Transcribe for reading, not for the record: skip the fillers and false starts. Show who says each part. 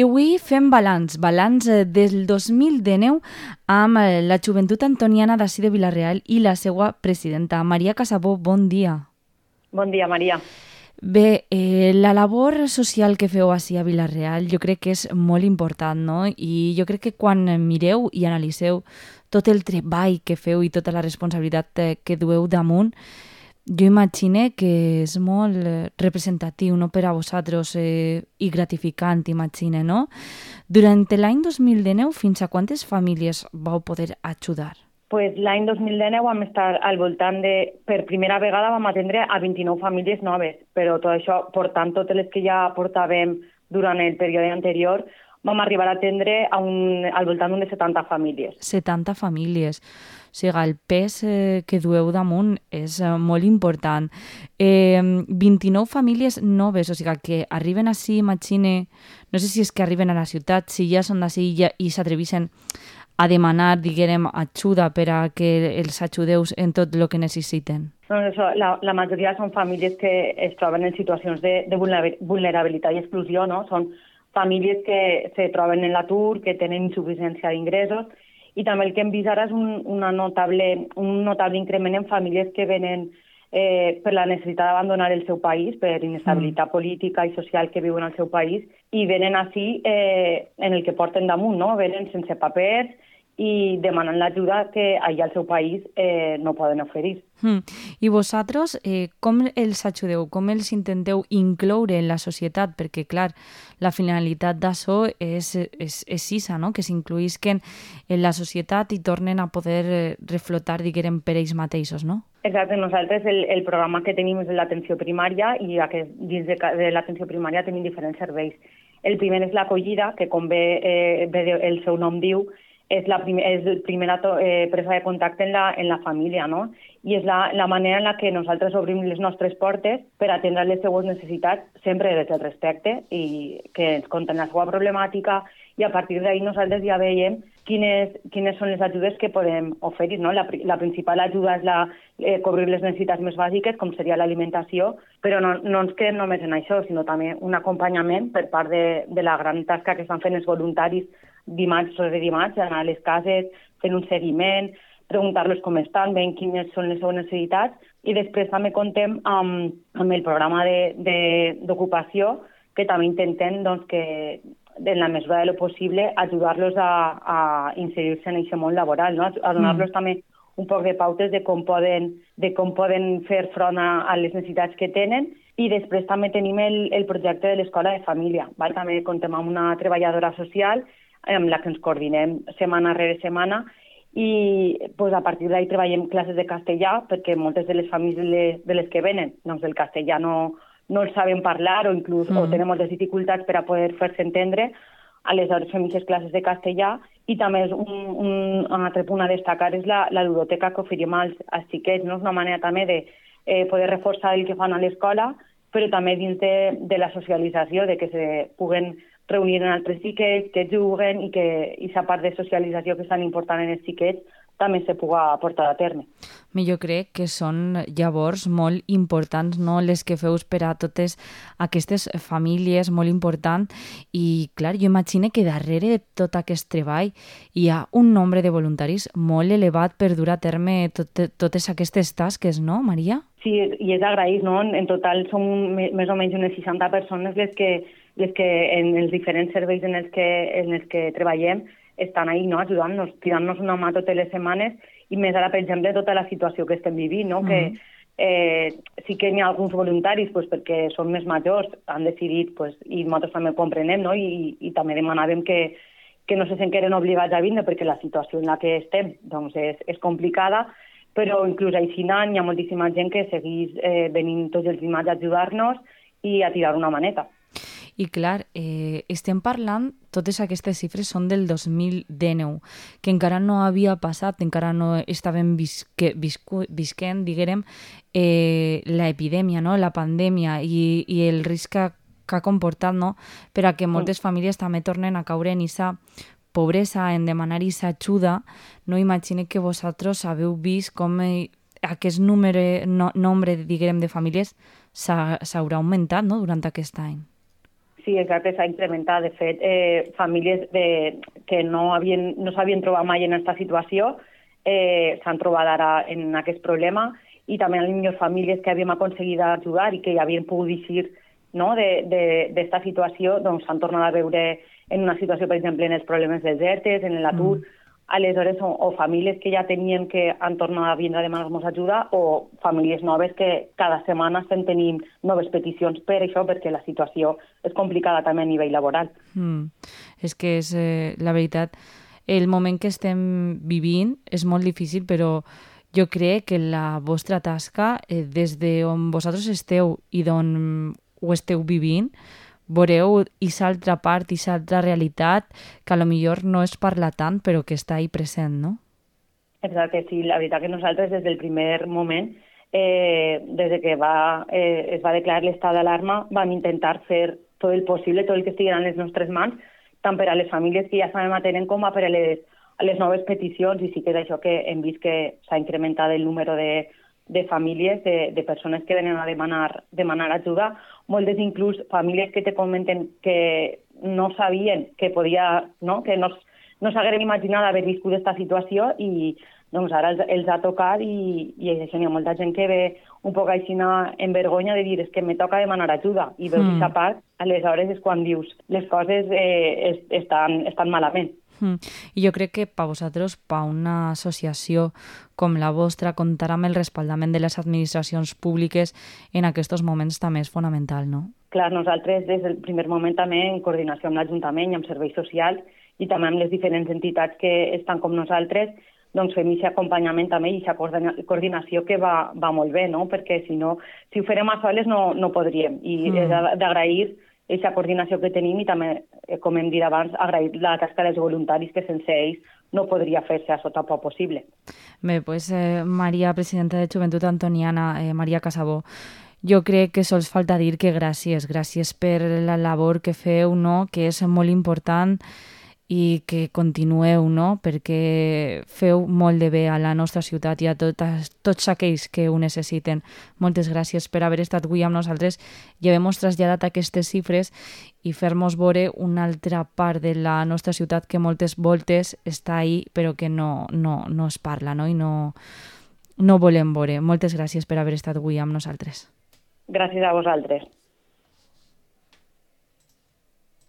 Speaker 1: I avui fem balanç del 2019 amb la Joventut Antoniana d'ací de Vila-real i la seva presidenta. Maria Casabó, bon dia.
Speaker 2: Bon dia, Maria.
Speaker 1: Bé, la labor social que feu ací a Vila-real jo crec que és molt important, no? I jo crec que quan mireu i analiseu tot el treball que feu i tota la responsabilitat que dueu damunt, jo imagine que és molt representatiu, no, per a vosaltres i gratificant, imagine, no? Durant l'any 2019, fins a quantes famílies vau poder ajudar?
Speaker 2: Pues l'any 2019 vam estar al voltant de... Per primera vegada vam atendre a 29 famílies noves, però tot això, portant totes les que ja portàvem durant el període anterior, vam arribar a atendre al voltant d'unes 70 famílies.
Speaker 1: 70 famílies. O sigui, el pes que dueu damunt és molt important. 29 famílies noves, o sigui, que arriben ací, imagine, no sé si és que arriben a la ciutat, si ja són d'ací i s'atreveixen a demanar, diguem, ajuda per a que els ajudeu en tot el que necessiten.
Speaker 2: Doncs això, la majoria són famílies que es troben en situacions de vulnerabilitat i exclusió, no? Són famílies que se troben en l'atur, que tenen insuficiència d'ingressos, i també el que hem vist ara és un notable increment en famílies que venen per la necessitat d'abandonar el seu país, per inestabilitat política i social que viuen al seu país, i venen així en el que porten damunt, no? Venen sense papers i demanant l'ajuda que allà al seu país no poden oferir.
Speaker 1: I vosaltres, com els ajudeu? Com els intenteu incloure en la societat? Perquè, clar, la finalitat d'això és issa, no? Que s'incloïsquen en la societat i tornen a poder reflotar, diguem, per ells mateixos, no?
Speaker 2: Exacte, nosaltres el programa que tenim és l'atenció primària i dins de l'atenció primària tenim diferents serveis. El primer és l'acollida, que com bé el seu nom diu, és la primera presa de contacte en la família, no? I és la manera en la que nosaltres obrim les nostres portes per atendre les seues necessitats, sempre des del respecte, i que ens conten la seva problemàtica, i a partir d'ahir nosaltres ja veiem quines són les ajudes que podem oferir, no? La principal ajuda és cobrir les necessitats més bàsiques, com seria l'alimentació, però no ens quedem només en això, sinó també un acompanyament per part de la gran tasca que estan fent els voluntaris dimarts sobre dimarts, anar a les cases, fent un seguiment, preguntar-los com estan, veient quines són les seves necessitats, i després també contem amb el programa d'ocupació, que també intentem doncs, que, en la mesura de lo possible, ajudar-los a inserir-se en aquest món laboral, no? A donar-los també un poc de pautes de com poden fer front a les necessitats que tenen. I després també tenim el projecte de l'Escola de Família. Val? També contem amb una treballadora social amb la que ens coordinem setmana rere setmana, i pues, a partir d'ahir treballem classes de castellà, perquè moltes de les famílies de les que venen doncs, el castellà no el saben parlar o inclús o tenen moltes dificultats per a poder fer-se entendre. Aleshores fem aquestes classes de castellà, i també és un altre punt a destacar és la ludoteca que oferim als xiquets, no? És una manera també de poder reforçar el que fan a l'escola, però també dins de la socialització, de que se puguen reunir en altres xiquets, que juguen, i que aquesta part de socialització que és tan important en els xiquets també se pugui portar a terme.
Speaker 1: Jo crec que són llavors molt importants, no, les que feus per a totes aquestes famílies, molt important. I, clar, jo imagino que darrere de tot aquest treball hi ha un nombre de voluntaris molt elevat per dur a terme totes aquestes tasques, no, Maria?
Speaker 2: Sí, i és agraït, no? En total som més o menys unes 60 persones les que en els diferents serveis en els que treballem estan ahí, no? Ajudant-nos, tirant-nos una mà totes les setmanes, i més ara, per exemple, tota la situació que estem vivint, no? Que sí que hi ha alguns voluntaris, pues, perquè són més majors, han decidit, pues, i nosaltres també ho comprenem, no? I també demanàvem que no se senten obligats a vindre, perquè la situació en la que estem doncs, és complicada, però inclús així hi ha moltíssima gent que segueix venint tots els dimarts a ajudar-nos i a tirar una maneta.
Speaker 1: I clar, estem parlant, totes aquestes xifres són del 2019, que encara no havia passat, encara no estàvem visquent, diguem, l'epidèmia, no? La pandèmia i el risc que ha comportat, no? Per a que moltes famílies també tornen a caure en aquesta pobresa, en demanar aquesta ajuda. No imagine que vosaltres haveu vist com aquest nombre, diguem, de famílies s'haurà augmentat, no?, durant aquest any.
Speaker 2: Sí, exacte, s'ha incrementat. De fet, famílies que no s'havien trobat mai en aquesta situació s'han trobat ara en aquest problema, i també les famílies que havíem aconseguit ajudar i que ja havien pogut eixir, no, d'esta situació, doncs s'han tornat a veure en una situació, per exemple, en els problemes dels ERTEs, en l'atur. Aleshores, o famílies que ja tenien que han tornat a vindre a demanar-nos ajuda, o famílies noves que cada setmana estem tenint noves peticions per això, perquè la situació és complicada també a nivell laboral.
Speaker 1: És que és, la veritat, el moment que estem vivint és molt difícil, però jo crec que la vostra tasca, des d'on vosaltres esteu i d'on ho esteu vivint, veureu aquesta altra part, aquesta altra realitat, que a lo millor no es parla tant, però que està ahí present, no?
Speaker 2: Exacte, sí. La veritat que nosaltres des del primer moment, des que es va declarar l'estat d'alarma, vam intentar fer tot el possible, tot el que estigui en les nostres mans, tant per a les famílies que ja estan atenent com per a les noves peticions, i sí que és això que hem vist que s'ha incrementat el número de famílies, de persones que venen a demanar ajuda, moltes inclús famílies que te comenten que no sabien que podia, no? Que no s'hagueren imaginat haver viscut aquesta situació, i doncs ara els ha tocat, i això, hi ha molta gent que ve un poc així en vergonya de dir és que me toca demanar ajuda, i veus aquesta part, aleshores és quan dius les coses estan malament.
Speaker 1: I jo crec que per vosaltres, per una associació com la vostra, comptar amb el respaldament de les administracions públiques en aquests moments també és fonamental, no?
Speaker 2: Clar, nosaltres des del primer moment també, en coordinació amb l'Ajuntament i amb serveis socials, i també amb les diferents entitats que estan com nosaltres, doncs fem aquest acompanyament també i aquesta coordinació que va molt bé, no? Perquè si ho farem a soles no podríem, i és d'agrair aquesta coordinació que tenim, i també, com hem dit abans, agrair la tasca dels voluntaris, que sense ells no podria fer-se això tampoc possible.
Speaker 1: Bé, doncs Maria, presidenta de Joventut Antoniana, Maria Casabó, jo crec que sols falta dir que gràcies per la labor que feu, no? Que és molt important, i que continueu, no? Perquè feu molt de bé a la nostra ciutat i a tots aquells que ho necessiten. Moltes gràcies per haver estat avui amb nosaltres i haver-nos traslladat aquestes xifres i fer-nos veure una altra part de la nostra ciutat que moltes voltes està ahí però que no es parla, no? I no volem veure. Moltes gràcies per haver estat avui amb nosaltres.
Speaker 2: Gràcies a vosaltres.